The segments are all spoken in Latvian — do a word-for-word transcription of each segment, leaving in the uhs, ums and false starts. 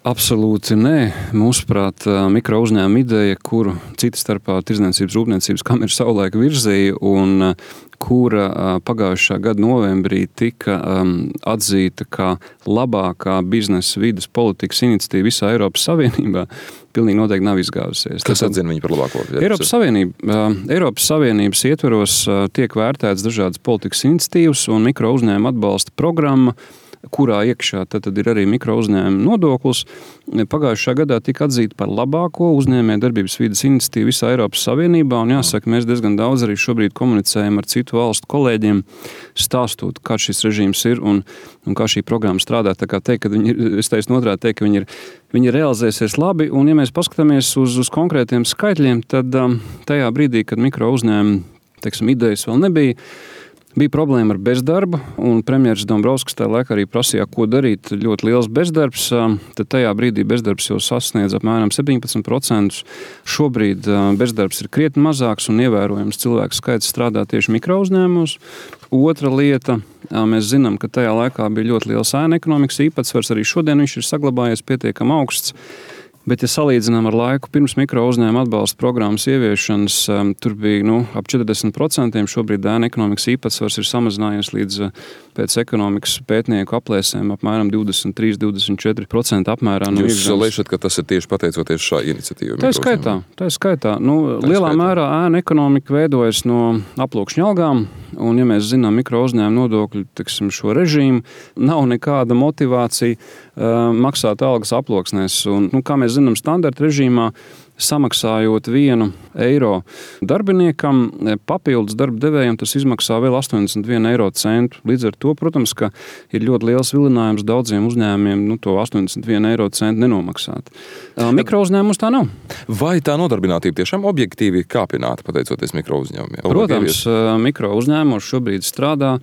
Absolūti nē. Mūsuprāt, mikro uzņēmuma ideja, kuru cita starpā Tirdzniecības rūpniecības kamera savulaik virzīja un kura pagājušā gada novembrī tika um, atzīta kā labākā biznesa vides politikas iniciatīva visā Eiropas Savienībā, pilnīgi noteikti nav izgāzusies. Kas atzina viņu par labāko? Eiropas, Savienība, uh, Eiropas Savienības ietveros uh, tiek vērtētas dažādas politikas iniciatīvas un mikro uzņēmuma atbalsta programma, kurā iekšā tad, tad ir arī mikro uzņēmuma nodoklis. Pagājušā gadā tika atzīta par labāko uzņēmē darbības vides iniciatīvu visā Eiropas Savienībā, un jāsaka, mēs diezgan daudz arī šobrīd komunicējam ar citu valstu kolēģiem, stāstot, kā šis režīms ir un, un kā šī programma strādā. Tā kā teikt, ka viņi ir, es teicu otrādi teikt, ka viņi ir, viņi realizēsies labi, un ja mēs paskatāmies uz, uz konkrētiem skaitļiem, tad um, tajā brīdī, kad mikro uzņēmuma, teiksim, idejas vēl nebija, bija problēma ar bezdarbu, un premjeras Dombrovskis tajā laikā arī prasīja, ko darīt. Ļoti liels bezdarbs, tad tajā brīdī bezdarbs jau sasniedz apmēram septiņpadsmit procentus. Šobrīd bezdarbs ir krietni mazāks un ievērojams cilvēku skaits strādā tieši mikro uzņēmumos. Otra lieta, mēs zinām, ka tajā laikā bija ļoti liels ēna ekonomikas īpatsvars, arī šodien viņš ir saglabājies pietiekami augsts. Bet, ja salīdzinām ar laiku pirms mikro uzņēmuma atbalsta programmas ieviešanas, um, tur bija nu, ap četrdesmit procenti. Šobrīd ēna ekonomikas īpatsvars ir samazinājies līdz pēc ekonomikas pētnieku aplēsēm apmēram divdesmit trīs līdz divdesmit četri procenti apmērā. No Jūs lēšat, ka tas ir tieši pateicoties šā iniciatīva? Tā ir skaitā. Tā ir skaitā. Nu, tā lielā skaitā. Mērā ēna ekonomika veidojas no aploksņa algām, un, ja mēs zinām mikro uzņēmuma nodokļu tiksim, šo režīmu, nav nekāda motivācija uh, maksāt algas aploksnēs. Un, nu, kā mēs zinām, standarta režīmā samaksājot vienu eiro darbiniekam, papildus darba devējiem tas izmaksā vēl astoņdesmit vienu eiro centu. Līdz ar to, protams, ka ir ļoti liels vilinājums daudziem uzņēmumiem nu, to astoņdesmit vienu eiro centu nenomaksāt. Mikro uzņēmums tā nav. Vai tā nodarbinātība tiešām objektīvi kāpināta pateicoties mikro uzņēmumiem? Protams, mikro uzņēmumos šobrīd strādā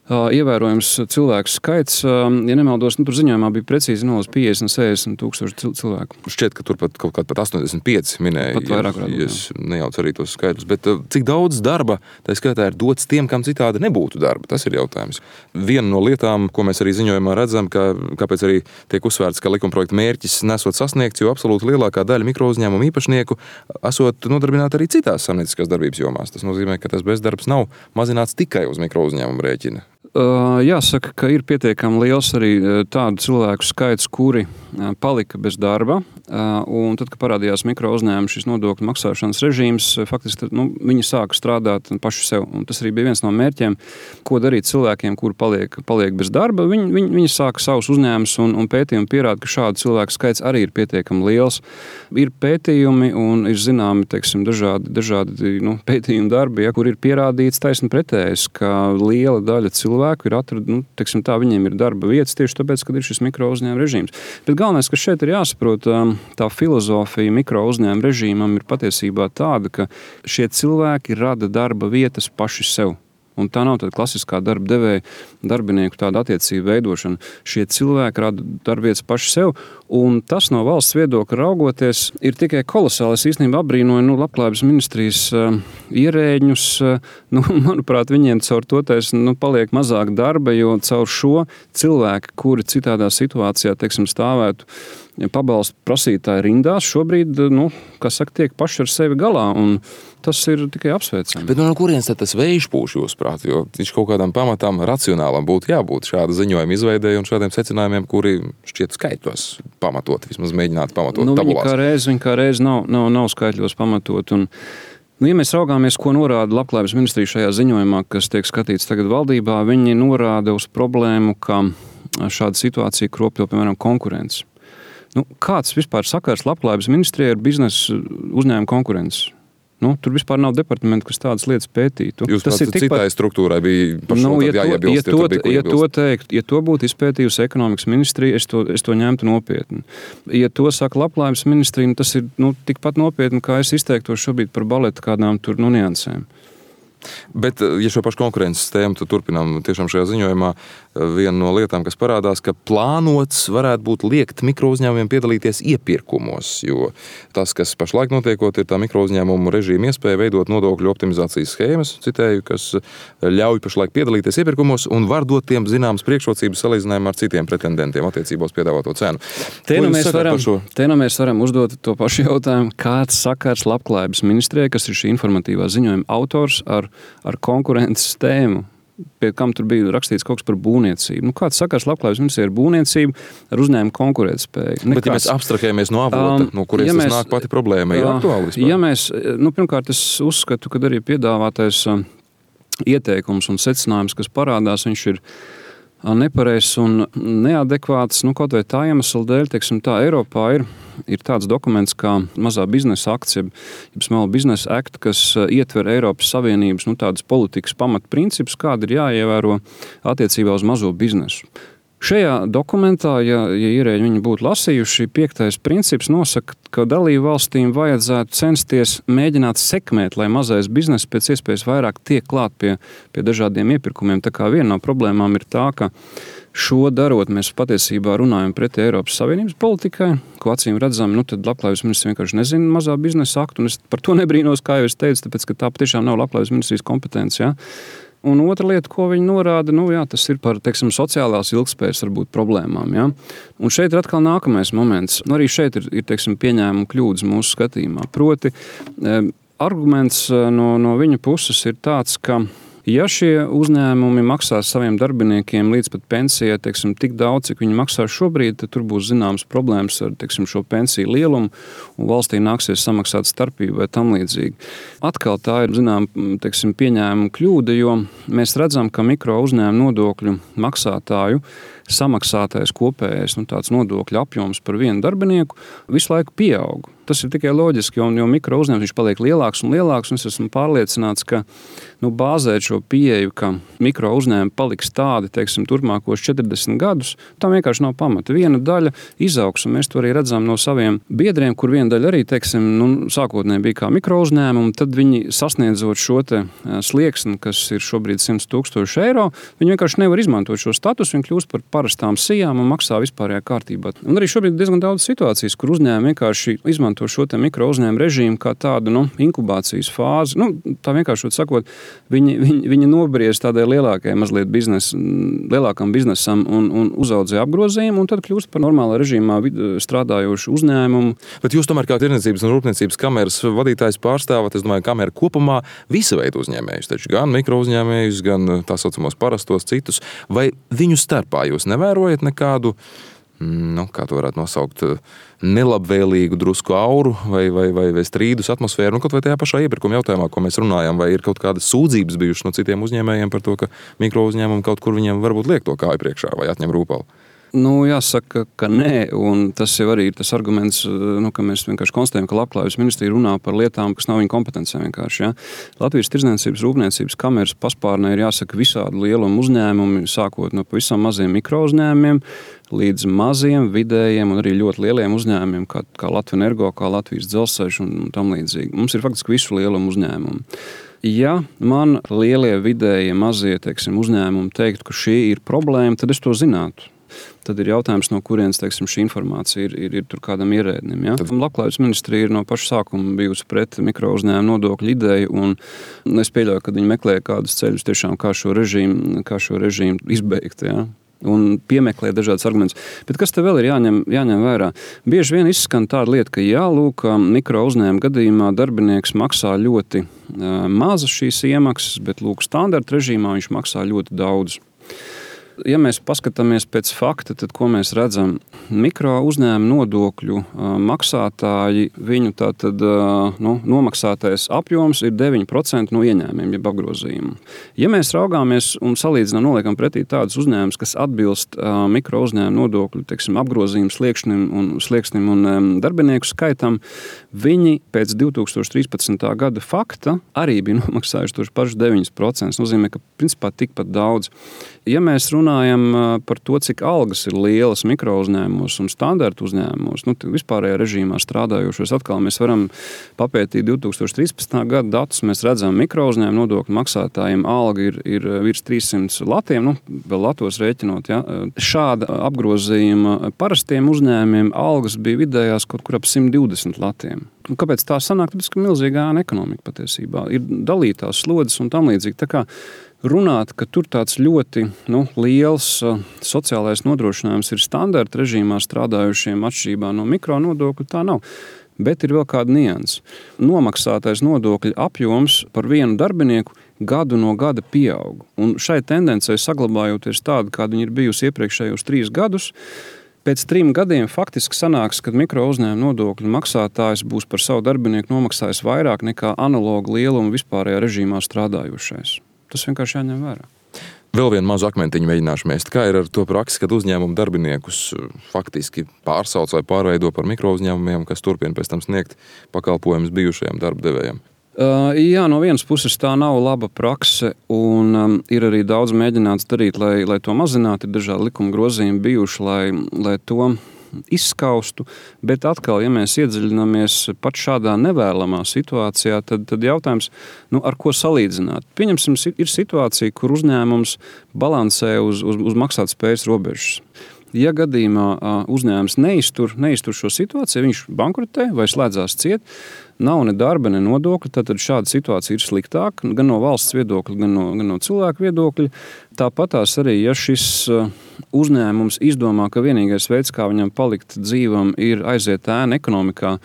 ievērojams cilvēku skaits. Ja nemaldos, nu, tur ziņojumā bija precīzi nolūs piecdesmit, sešdesmit tūkstoši cilvēku. Šķiet, ka tur pat kaut kāds pat astoņdesmit pieci minēja. Pat vairāk ja, ja es nejaucu arī tos skaidrus. Bet cik daudz darba, tā skaitā, ir dots tiem, kam citādi nebūtu darba? Tas ir jautājums. Viena no lietām, ko mēs arī ziņojumā redzam, ka, kāpēc arī tiek uzsvērts, ka likumprojekta mērķis nesot sasniegts, jo absolūti lielākā daļa mikro uzņēmumu īpašnieku esot nodarbināti arī citās saimnieciskās darbības jomās. Tas nozīmē, ka tas bezdarbs nav mazināts tikai uz mikro uzņēmumu rēķina. Jāsaka, ka ir pietiekami liels arī tādu cilvēku skaits, kuri palika bez darba, un tad, kad parādījās mikro uzņēmuma šis nodokļu maksāšanas režīms, faktiski nu, viņi sāka strādāt paši sev, un tas arī bija viens no mērķiem, ko darīt cilvēkiem, kuri paliek, paliek bez darba. Viņi, viņi, viņi sāka savus uzņēmumus, un, un pētījumi pierāda, ka šādu cilvēku skaits arī ir pietiekami liels. Ir pētījumi un ir zināmi, teiksim, dažādi, dažādi nu, pētījumi darbi, ja, kur ir pierādīts taisni pretējs, ka liela daļa cilvēku cilvēku ir atrad, nu, teiksim tā, viņiem ir darba vietas tieši tāpēc, kad ir šis mikro uzņēmuma režīms. Bet galvenais, kas šeit ir jāsaprot, tā filozofija mikro uzņēmuma režīmam ir patiesībā tāda, ka šie cilvēki rada darba vietas paši sev. Un tā nav tāda klasiskā darba devēja darbinieku tāda attiecība veidošana. Šie cilvēki rada darbvietas paši sev, un tas no valsts viedokļa raugoties ir tikai kolosāli. Es īstenībā abrīnoju nu, Labklājības ministrijas uh, ierēģņus. Uh, nu, manuprāt, viņiem caur to tais, nu, paliek mazāk darba, jo caur šo cilvēku, kuri citādā situācijā, teiksim, stāvētu pabalstu prasītāji rindās, šobrīd, nu, kā saka, tiek paši ar sevi galā, un tas ir tikai apsveicami. Bet no kurienes tad tas vējš pūš jūsuprāt, jo viņš kaut kādam pamatām racionālam būtu jābūt šāda ziņojuma izveidēji un šādiem secinājumiem, kuri šķiet skaitos pamatot, vismaz mēģināt pamatot nu, tabulās. Viņi kā reiz, viņi kā reiz nav, nav, nav skaitļos pamatot, un nu, ja mēs raugāmies, ko norāda Labklājības ministrija šajā ziņojumā, kas tiek skatīts tagad valdībā, viņi norāda uz problēmu, ka šāda situācija kropļo, piemēram, konkurences. Nu, kāds vispār sakars Labklājības ministrijai ar biznesa uzņēmumu konkurences? Nu, tur vispār nav departamenta, kas tādas lietas pētītu. Jūs tas ir citai tikpat... struktūrai bija par šo nu, ja jāiebilst, ja to, ja, ja to teikt, ja to būtu izpētījusi ekonomikas ministrija, es to, es to ņemtu nopietni. Ja to saka Labklājības ministrija, tas ir nu, tikpat nopietni, kā es izteiktos šobrīd par baleta kādām tur nu, niansēm. Bet, ja šo pašu konkurences tēmu turpinām tiešām šajā ziņojumā, viena no lietām, kas parādās, ka plānots varētu būt liekt mikrouzņēmumiem piedalīties iepirkumos, jo tas, kas pašlaik notiekot, ir tā mikrouzņēmumu režīma iespēja veidot nodokļu optimizācijas schēmas, citēju, kas ļauj pašlaik piedalīties iepirkumos un var dot tiem zināmas priekšrocības salīdzinājumā ar citiem pretendentiem attiecībā uz piedāvāto cenu. Te nu mēs varam, te nu mēs varam uzdot to pašu jautājumu, kāds sakars Labklājības ministrijai, kas ir šī informatīvā ziņojuma autors, ar, ar konkurences tēmu, pie kam tur bija rakstīts kaut kas par būvniecību. Nu, kāds sakars Labklājības ministrijai ar būvniecību, ar uzņēmumu konkurētspēju? Bet ja mēs abstrahējamies no avota, um, no kurienes ja mēs, tas nāk pati problēma, ir uh, aktuāli vispār? Ja mēs, nu, pirmkārt, es uzskatu, ka arī piedāvātais uh, ieteikums un secinājums, kas parādās, viņš ir nepareizs un neadekvāts, nu, kaut vai tā iemesla dēļ, teiksim tā, Eiropā ir, ir tāds dokuments kā mazā biznesa akts, jeb, jeb Small Business Act, kas ietver Eiropas Savienības, nu, tādas politikas pamatprincipus, kādi ir jāievēro attiecībā uz mazo biznesu. Šajā dokumentā, ja, ja ierēģi viņi būtu lasījuši, piektais princips nosaka, ka dalību valstīm vajadzētu censties mēģināt sekmēt, lai mazais bizness pēc iespējas vairāk tiek klāt pie, pie dažādiem iepirkumiem. Tā kā viena no problēmām ir tā, ka šo darot mēs patiesībā runājam pretī Eiropas Savienības politikai, ko acīm redzam, nu tad Labklājības ministrs vienkārši nezina mazā biznesa aktu, un es par to nebrīnos, kā jau es teicu, tāpēc, ka tā patiešām nav Labklājības ministrijas kompetence, ja? Un otra lieta, ko viņi norāda, nu, jā, tas ir par, teiksim, sociālās ilgspējas varbūt problēmām. Ja? Un šeit ir atkal nākamais moments. Nu, arī šeit ir, ir teiksim, pieņēmuma kļūdas mūsu skatījumā. Proti, eh, arguments no, no viņa puses ir tāds, ka ja šie uzņēmumi maksās saviem darbiniekiem līdz pat pensijai, teiksim, tik daudz, cik viņi maksā šobrīd, tad tur būs zināmas problēmas ar, teiksim, šo pensiju lielumu, un valstī nāksies samaksāt starpību vai tam līdzīgi. Atkal tā ir, zinām, teiksim, pieņēmuma kļūda, jo mēs redzam, ka mikro uzņēmumu nodokļu maksātāju samaksātais kopējais, nu, tāds nodokļu apjoms par vienu darbinieku visu laiku pieaug. Tas ir tikai loģiski, jo, jo mikro uzņēmums viņš paliek lielāks un lielāks, un es esmu pārliecināts, ka nu, bāzēt šo pieeju, ka mikro uzņēmumi paliks tādi, teiksim, turpmākos četrdesmit gadus, tam vienkārši nav pamata. Viena daļa izaugs, un mēs to arī redzam no saviem biedriem, kur viena daļa arī, teiksim, nu, sākotnēji bija kā mikro uzņēmumi, tad viņi sasniedzot šo te slieksni, kas ir šobrīd simt tūkstoši eiro, viņi vienkārši nevar izmantot šo statusu, viņi kļūst par parastām sijām un maksā vispārējā kārtībā. Un arī šobrīd ir diezgan daudz situācijas, kur uzņēmumi vienkārši izmanto šo te mikro uzņēmumu režīmu kā tādu, nu, inkubācijas fāzi. Nu, tā vienkārši sakot, viņi, viņi, viņi nobriez tādai lielākai mazliet biznes, lielākam biznesam un, un uzaudzē apgrozījumu, un tad kļūst par normālā režīmā strādājošu uzņēmumu. Bet jūs tomēr kā tirdzniecības un rūpniecības kameras vadītājs pārstāvat, es domāju, kamera kopumā visa veida uzņēmējus, taču gan mikro uzņēmējus, gan tā saucamos parastos citus, vai viņu starpā jūs nevērojat nekādu, nu, kā to varētu nosaukt, nelabvēlīgu drusku auru vai, vai, vai, vai strīdus atmosfēru, nu, kaut vai tajā pašā iepirkuma jautājumā, ko mēs runājam, vai ir kaut kādas sūdzības bijušas no citiem uzņēmējiem par to, ka mikro uzņēmumi kaut kur viņiem varbūt liek to kāju priekšā vai atņem rūpalu? Nu, jāsaka, ka nē, un tas jau arī ir tas arguments, nu, ka mēs vienkārši konstatējam, ka Labklājības ministrija runā par lietām, kas nav viņa kompetencē vienkārši. Ja? Latvijas tirdzniecības rūpniecības kameras paspārnē ir jāsaka visādi lielumu uzņēmumi, sākot no pavisam maziem mikro uzņēmumiem līdz maziem, vidējiem un arī ļoti lieliem uzņēmumiem, kā, kā Latvenergo, kā Latvijas dzelzceļš un, un tam līdzīgi. Mums ir faktiski visu lielumu uzņēmumu. Ja man lielie, vidējie, mazie, teiksim, uzņēmumi teikt, ka šī ir problēma, tad es to zinātu. Tad ir jautājums, no kurienes, teiksim, šī informācija ir, ir, ir tur kādam ierēdnim. Ja? Labklājības ministrija ir no paša sākuma bijusi pret mikro uzņēmumu nodokļu ideju, un es pieļauju, ka viņi meklē kādus ceļus tiešām, kā šo režīmu, kā šo režīmu izbeigt. Ja? Un piemeklē dažādas argumentus. Bet kas te vēl ir jāņem, jāņem vērā? Bieži vien izskan tāda lieta, ka jā, lūk, mikro uzņēmuma gadījumā darbinieks maksā ļoti uh, mazas šīs iemaksas, bet lūk, standarta režīmā viņš maksā ļoti daudz. Ja mēs paskatāmies pēc fakta, tad ko mēs redzam? Mikro uzņēmumu nodokļu maksātāji, viņu tātad, nu, nomaksātais apjoms ir deviņi procenti no ieņēmumiem, jeb apgrozījumu. Ja mēs raugāmies un salīdzinām, noliekam pretī tādus uzņēmumus, kas atbilst mikro uzņēmumu nodokļu, teiksim, apgrozījumu sliekšnim un, sliekšnim un darbinieku skaitam, viņi pēc divi tūkstoši trīspadsmitā gada fakta arī bija nomaksājuši tos pašus deviņi procenti. Tas nozīmē, ka principā tikpat daudz. Ja mēs runājam runājam par to, cik algas ir lielas mikro uzņēmumos un standarta uzņēmumos, nu, vispārējā režīmā strādājošos, atkal mēs varam papētīt divi tūkstoši trīspadsmitā gada datus. Mēs redzam, mikro uzņēmumu nodokļu maksātājiem alga ir, ir virs trīssimts latiem, nu, vēl latos rēķinot. Ja. Šāda apgrozījuma parastiem uzņēmumiem algas bija vidējās kaut kur ap simt divdesmit latiem. Un kāpēc tā sanāk? Tāpēc, ka milzīga ēna ekonomika patiesībā ir dalītās slodzes un tam līdzīgi. Tā kā runāt, ka tur tāds ļoti nu, liels uh, sociālais nodrošinājums ir standarta režīmā strādājušiem atšķirībā no mikro nodokļu, tā nav. Bet ir vēl kāda nianse. Nomaksātais nodokļu apjoms par vienu darbinieku gadu no gada pieaug. Un šai tendencei saglabājoties tāda, kāda viņa ir bijusi iepriekšējos trīs gadus, pēc trim gadiem faktiski sanāks, kad mikro uzņēmuma nodokļu maksātājs būs par savu darbinieku nomaksājis vairāk nekā analoga lieluma vispārējā režīmā strādājušais. Tas vienkārši jāņem vērā. Vēl vienu mazu akmentiņu mēģināšu mest. Kā ir ar to praksi, kad uzņēmumu darbiniekus faktiski pārsauc vai pārveido par mikro uzņēmumiem, kas turpina pēc tam sniegt pakalpojumus bijušajiem darbdevējiem? Uh, jā, no vienas puses tā nav laba prakse, un um, ir arī daudz mēģināts darīt, lai, lai to mazinātu. Ir dažādi likuma grozījumi bijuši, lai, lai to izskaustu, bet atkal, ja mēs iedziļināmies pat šādā nevēlamā situācijā, tad, tad jautājums, nu, ar ko salīdzināt? Pieņemsim, ir situācija, kur uzņēmums balansē uz, uz, uz maksātspējas robežas. Ja gadījumā uzņēmums neiztur, neiztur šo situāciju, viņš bankrotē vai slēdzās ciet, nav ne darba, ne nodokļa, tad šāda situācija ir sliktāka gan no valsts viedokļa, gan no, gan no cilvēku viedokļa. Tāpatās arī, ja šis uzņēmums izdomā, ka vienīgais veids, kā viņam palikt dzīvam, ir aiziet ēna ekonomikā,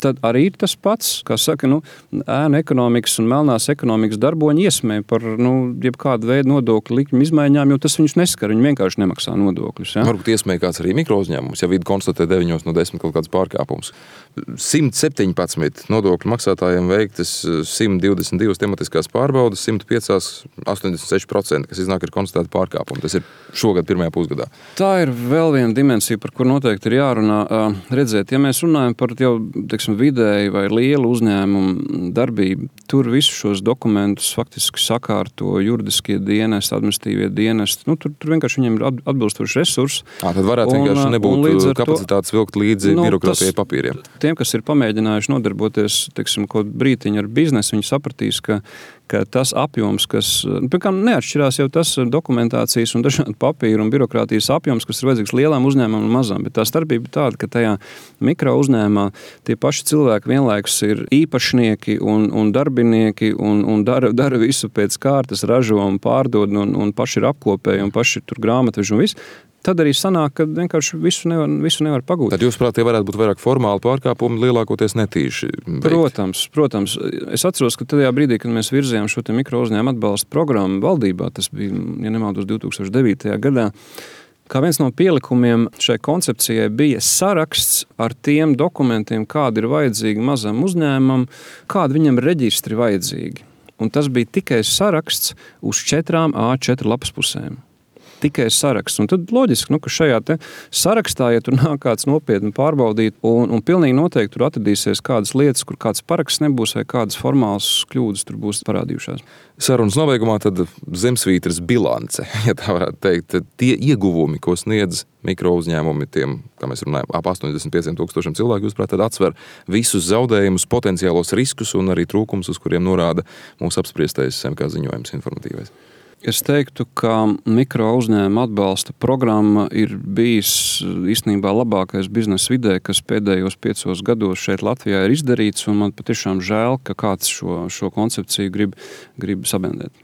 tad arī ir tas pats, kā saka, nu, ēna ekonomikas un melnās ekonomikas darboņi iesmē par nu, jebkādu veidu nodokļu likņu izmaiņām, jo tas viņus neskar, viņi vienkārši nemaksā nodokļus. Ja? Varbūt iesmē kāds arī mikro uzņēmums, ja vidi konstatē deviņos no desmit kaut kāds pārkāpums. simt septiņpadsmit nodokļu maksātājiem veiktas simt divdesmit divas tematiskās pārbaudas, simt pieci astoņdesmit seši procenti, kas iznāk ir konstatēti pārkāpumi. Tas ir šogad pirmajā pusgadā. Tā ir vēl viena dimensija, par kur noteikti ir jārunā. Redzēt, ja mēs runājam par jau, teiksim, vidēji vai lielu uzņēmumu darbību, tur visus šos dokumentus faktiski sakārto juridiskie dienesti, administratīvie dienesti. Nu, tur, tur vienkārši viņiem ir atbilstoši resursi. À, tad varētu un, vienkārši nebūt kapacitātes vilkt līdzi nu, birokrātijai papīriem. Tiem, kas ir pamēģinājuši nodarboties, teiksim, kaut brītiņu ar biznesu, viņi sapratīs, ka ka tas apjoms, kas, piemēram, neatšķirās jau tas dokumentācijas un dažādu papīru un birokrātijas apjoms, kas ir vajadzīgs lielām uzņēmumam un mazām, bet tā starpība ir tāda, ka tajā mikro uzņēmumā tie paši cilvēki vienlaikus ir īpašnieki un, un darbinieki un, un dara, dara visu pēc kārtas, ražo un pārdod un, un paši ir apkopēji un paši ir tur grāmatveži un viss. Tad arī sanāk, ka vienkārši visu nevar, visu nevar pagūt. Tad jūs prāt, tie varētu būt vairāk formāli pārkāpumi, lielākoties netīši veikt? Protams, protams. Es atceros, ka tajā brīdī, kad mēs virzījām šo te mikro uzņēmumu atbalsta programmu valdībā, tas bija, ja nemaldos, divi tūkstoši devītajā gadā, kā viens no pielikumiem šai koncepcijai bija saraksts ar tiem dokumentiem, kādi ir vajadzīgi mazam uzņēmumam, kādi viņam reģistri vajadzīgi. Un tas bija tikai saraksts uz četrām A četru lapas pusēm. Tikai saraksts. Un tad loģiski, nu, ka šajā te sarakstā, ja tur nāk kāds nopietni pārbaudīt, un, un pilnīgi noteikti tur atradīsies kādas lietas, kur kāds paraksts nebūs vai kādas formālas kļūdas tur būs parādījušās. Sarunas nobeigumā tad zemsvītras bilance, ja tā varētu teikt, tie ieguvumi, ko sniedz mikro uzņēmumi tiem, kā mēs runājam, ap astoņdesmit pieciem tūkstošiem cilvēku, jūs prāt, tad atsver visus zaudējumus, potenciālos riskus un arī trūkumus, uz kuriem norāda mūsu apspriestais S M K ziņojums informatīvais. Es teiktu, ka mikro uzņēmuma atbalsta programma ir bijis īstenībā labākais biznesa vidē, kas pēdējos piecos gados šeit Latvijā ir izdarīts, un man patiešām žēl, ka kāds šo, šo koncepciju grib, grib sabendēt.